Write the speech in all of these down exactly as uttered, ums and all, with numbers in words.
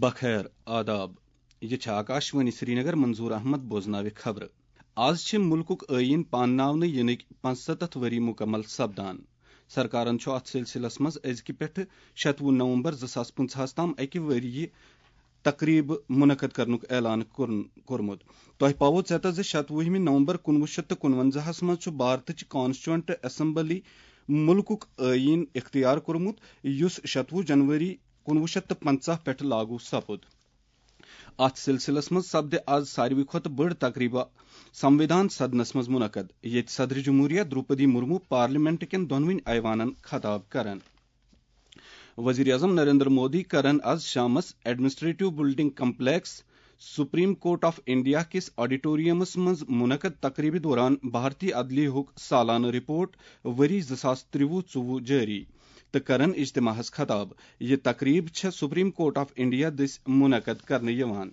بخیر آداب۔ یہِ چھِ آکاشوانی سرینگر، منظور احمد بوزناوِ خبرٕ۔ آز چھِ مُلکُک ٲییٖن پانناونہٕ یِنٕکۍ پانٛژستتھ ؤری مُکمل سپدان۔ سرکارن چھُ اتھ سلسلس منٛز أزکہِ پٮ۪ٹھٕ شتوُہ نومبر زٕ ساس پٕنٛژٕہس تام اکہِ ؤرۍ یہِ تقریب منعقد کرنُک اعلان کوٚرن-، کوٚرمُت۔ تۄہہِ پاوو ژیتہ زِ شتوُہمہِ نومبر کُنوُہ شیٚتھ تہٕ کُنونزاہس منٛز چھُ بھارتٕچ کانسٹیچوئنٹ اسمبلی مُلکُک ٲییٖن اختیار کوٚرمُت، یُس شتوُہ جنوری کُنوُہ شیٚتھ تہٕ پنٛژاہ پٮ۪ٹھ لاگو سپُد۔ اتھ سلسلس منٛز سپدِ از ساروی کھۄتہٕ بٔڑ تقریبہ سموِدھان سدنس منٛز منعقد، ییٚتہِ صدر جمہوریہ درٛوپدی مرمو پارلیمنٹ کٮ۪ن دۄنوٕنی ایوانن خطاب کرن۔ وزیر اعظم نریندر مودی کرن از شامس administrative building complex, supreme court of India کِس آڈیٹوریم منٛز منعقد تقریبہِ دوران بھارتی عدلیہُک سالانہٕ رپورٹ ؤری زٕ ساس ترٛوُہ ژوٚوُہ جٲری تہٕ کرن اجتماعس خطاب۔ یہِ تقریب چھےٚ سپریم کورٹ آف انڈیا دٔسۍ منعقد کرنہٕ یِوان۔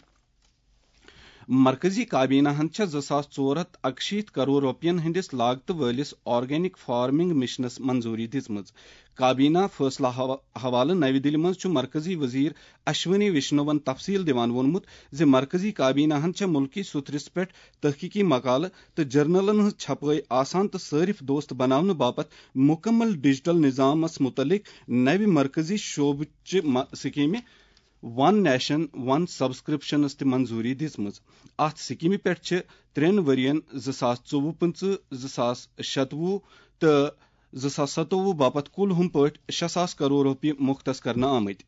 مرکزی کابینہ ہن چھےٚ زٕ ساس ژور ہتھ اکشیٖتھ کرور رۄپین ہٕنٛدِس لاگتہٕ وٲلِس آرگینک فارمنگ مشنس منظوری دِژمٕژ۔ کابینہ فٲصلہٕ حوا-، حوالہٕ نَوِ دِلہِ منٛز چھُ مرکزی وزیر اشونی وشنوَن تفصیل دِوان ووٚنمُت زِ مرکزی کابینہ ہن چھےٚ مُلکی سُتھرِس پٮ۪ٹھ تحقیقی مقالہٕ تہٕ جرنلن ہٕنٛز چھپٲے آسان تہٕ صٲرف دوست بناونہٕ باپتھ مُکمل ڈیجیٹل نظامس مُتعلق نَوِ مرکزی شعبہٕ چہِ م-، سکیمہِ ون نیشن ون سبسکرپشنس تہِ منظوری دِژمٕژ۔ اتھ سکیمہِ پٮ۪ٹھ چھِ ترٛٮ۪ن ؤرین، زٕ ساس ژوٚوُہ پٕنٛژٕہ، زٕ ساس شتوُہ تہٕ زٕ ساس ستووُہ باپتھ کُل ہُم پٲٹھۍ شےٚ ساس کرور رۄپیہِ مختص کرنہٕ آمٕتۍ۔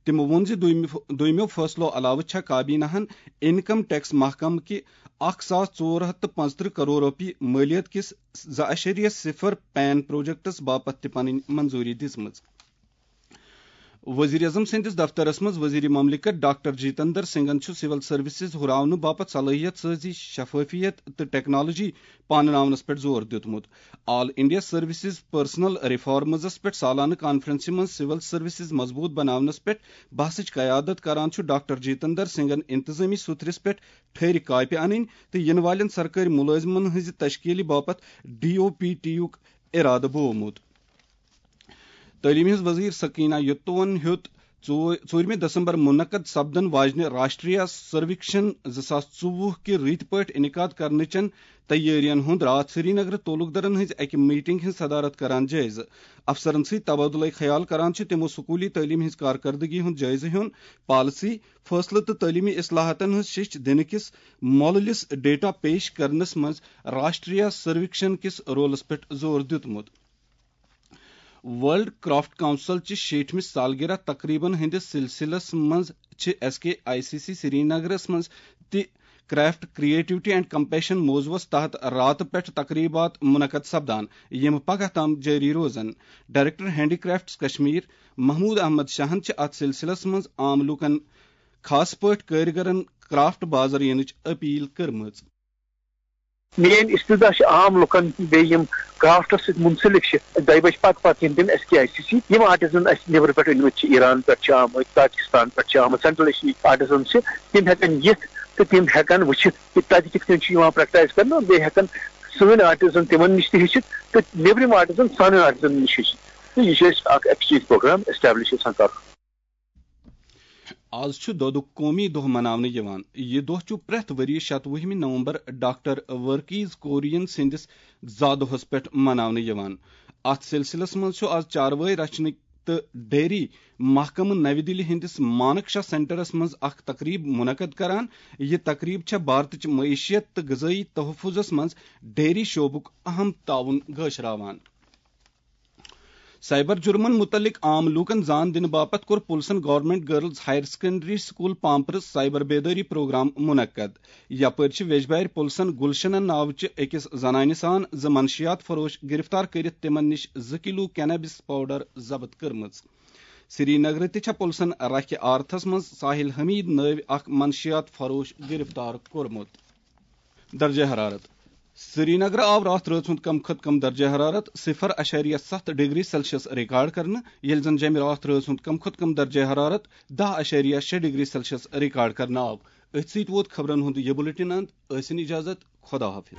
تِمو ووٚن زِ دوٚیمہِ فٲ-، دوٚیمٮ۪و فٲصلو علاوٕ چھےٚ کابینہ ہن انکم ٹیکس محکمہٕ کہِ اکھ ساس ژور ہتھ تہٕ پانٛژترٕہ کرور رۄپیہِ مٲلیت کِس زٕ اعشاریہ صفر پین پروجیکٹس باپتھ تہِ پنٕنۍ منظوری دِژمٕژ۔ وزیر اعظم سٕنٛدِس دفترس منٛز وزیر مملکت ڈاکٹر جتندر سنگھن چھُ سول سروسز ہُراونہٕ باپتھ صلٲحیت سازی، شفافیت تہٕ ٹیکنالوجی پانناونس پٮ۪ٹھ زور دیُتمُت۔ آل انڈیا سروسز پرسنل ریفارمزس پٮ۪ٹھ سالانہٕ کانفرنسہِ منٛز سول سروسز مضبوٗط بناونس پٮ۪ٹھ بحثٕچ قیادت کران چھُ ڈاکٹر جتندر سنگھن انتظامی سُتھرِس پٮ۪ٹھ ٹھٔہرِ کاپہِ انٕنۍ تہٕ یِنہٕ والٮ۪ن سرکٲرۍ مُلٲزمن ہٕنٛزِ تشکیٖلہِ باپتھ ڈی او پی ٹی یُک ارادٕ بوومُت۔ تعلیٖم ہٕنٛز وزیر سکینہ یتوَن ہیوٚت ژو-، ژوٗرمہِ دسمبر منعقد سپدن واجنہِ راشٹریہ سرویکشن زٕ ساس ژوٚوُہ کہِ رٕتۍ پٲٹھۍ انعقاد کرنٕچن تیٲرین ہُنٛد راتھ سرینگرٕ تعلقدارن ہٕنٛزِ اکہِ میٹنگ ہٕنٛز صدارت کران جٲیزٕ۔ افسرن سۭتۍ تبادلہٕ خیال کران چھِ تِمو سکوٗلی تعلیٖم ہٕنٛز کارکردگی ہُنٛد جٲیزٕ ہیوٚن، پالیسی، فٲصلہٕ تہٕ تعلیٖمی اصلاحاتن ہٕنٛز شیٚچھ دِنہٕ کِس مۄلہٕ لِس ڈیٹا پیش کرنس منٛز راشٹریہ سرویکشن کِس رولس پٮ۪ٹھ زور دیُتمُت۔ ورلڈ کرافٹ کونسل چہِ شیٹھمہِ سالگرہ تقریبن ہٕنٛدِس سلسلس منٛز چھِ S K I C C سرینگرس منٛز تہِ کرافٹ، کریٹیوٹی اینڈ کمپیشن موضوعس تحت راتہٕ پٮ۪ٹھ تقریبات منعقد سپدان، یِم پگاہ تام جٲری روزن۔ Director handicrafts Kashmir Mahmood Ahmad شاہن چھِ اتھ سلسلس منٛز عام لوٗکن، خاص پٲٹھۍ کٲرۍگرن، کرافٹ بازر یِنٕچ اپیل کٔرمٕژ۔ میٲنۍ استدعا چھِ عام لُکن بیٚیہِ یِم کرافٹس سۭتۍ منسلک چھِ، دۄیہِ بجہِ پتہٕ پتہٕ یِن تِم S K I C C. یِم آرٹزن اسہِ نیبرٕ پٮ۪ٹھ أنمٕتۍ چھِ، ایران پٮ۪ٹھ چھِ آمٕتۍ، پاکستان پٮ۪ٹھ چھِ آمٕتۍ، سینٹرل ایشیاہٕکۍ آرٹزن چھِ، تِم ہٮ۪کن یِتھ تہٕ تِم ہٮ۪کن وٕچھِتھ کہِ تتہِ کِتھ کٔنۍ چھِ یِوان پریکٹائز کرنہٕ۔ بیٚیہِ ہٮ۪کن سٲنۍ آرٹزن تِمن نِش تہِ ہیٚچھِتھ تہٕ نیبرِم آرٹزن سانٮ۪ن آرٹزن نِش ہیٚچھِتھ۔ تہٕ یہِ چھُ اَسہِ اکھ ایکسچینج پروگرام ایسٹیبلش یژھان کرُن۔ آز چھُ دۄدُک قومی دۄہ مناونہٕ یِوان۔ یہِ دۄہ چھُ پرٛٮ۪تھ ؤرۍ یہِ شتوُہمہِ نومبر ڈاکٹر ورکیز کورین سٕنٛدِس زا دۄہس پٮ۪ٹھ مناونہٕ یِوان۔ اتھ سلسلس منٛز چھُ آز چاروٲے رچھنٕکۍ تہٕ ڈیری محکمہٕ نَوِ دِلہِ ہٕنٛدِس مانک شاہ سینٹرس منٛز اکھ تقریب منعقد کران۔ یہِ تقریب چھےٚ بھارتٕچ معیشت تہٕ غذٲیی تحفظس منٛز ڈیری شعبُک اہم تعاون گٲشراوان۔ سائبر جرمن متعلق عام لوٗکن زان دِنہٕ باپتھ کوٚر پُلسن government girls higher secondary school پامپرس سائبر بیدٲری پروگرام منعقد۔ یپٲرۍ چھِ ویجبارِ پُلسن گلشنہ ناوچہِ أکِس زنانہِ سان زٕ منشیات فروش گرفتار کٔرِتھ تِمن نِش زٕ کلو کینابس پاؤڈر ضبط کٔرمٕژ۔ سری نگرٕ تہِ چھےٚ پُلسن رکھِ آرتھس منٛز ساحل حمید نٲوۍ اکھ منشیات فروش گرفتار کوٚرمُت۔ درجہ حرارت۔ سرینگرٕ آو راتھ رٲژ ہُنٛد کم کھۄتہٕ کم درجہ حرارت صفر اعشاریہ ستھ ڈگری سیلسیس ریکارڈ کرنہٕ، ییٚلہِ زن جمہِ راتھ رٲژ ہُنٛد کم کھۄتہٕ کم درجہ حرارت دَہ اعشاریہ شےٚ ڈگری سیلسیس ریکارڈ کرنہٕ آو۔ أتھۍ سۭتۍ ووت خبرن ہُنٛد یہِ بلیٹن اند۔ ٲسِن اجازت، خدا حافظ۔